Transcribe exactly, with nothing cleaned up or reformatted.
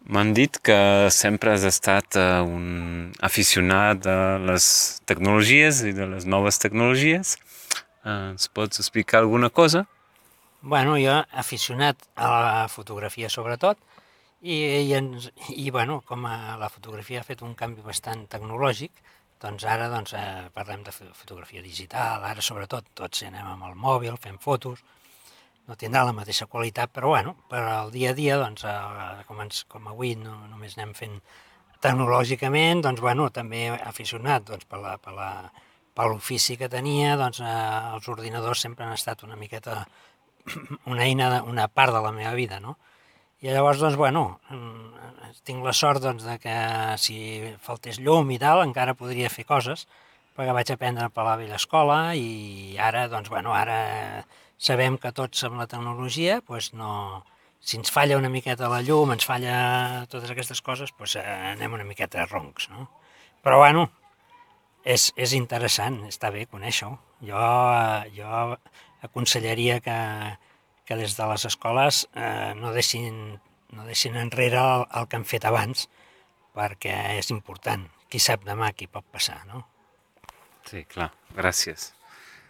M'han dit que sempre has estat eh, un aficionat a les tecnologies i de les noves tecnologies. Eh, ens pots explicar alguna cosa? Bueno, jo aficionat a la fotografia sobretot, i, i, ens, i bueno, com a la fotografia ha fet un canvi bastant tecnològic, doncs ara doncs, eh, parlem de fotografia digital, ara sobretot tots anem amb el mòbil, fem fotos, no tindrà la mateixa qualitat, però bueno, per al dia a dia, doncs, eh, com, ens, com avui no, només anem fent tecnològicament, doncs, bueno, també aficionat doncs, per la, per la, per l'ofici que tenia, doncs, eh, els ordinadors sempre han estat una miqueta una eina, una part de la meva vida, no? I llavors, doncs, bueno, tinc la sort doncs, de que si faltés llum i tal, encara podria fer coses, perquè vaig aprendre per la vella escola i ara, doncs, bueno, ara sabem que tots amb la tecnologia, doncs no, si ens falla una miqueta la llum, ens falla totes aquestes coses, doncs anem una miqueta roncs, no? Però, bueno, és, és interessant, està bé conèixer-ho. Jo, jo aconsellaria que, que des de les escoles eh, no, deixin, no deixin enrere el, el que han fet abans, perquè és important. Qui sap demà què pot passar, no? Sí, clar. Gràcies.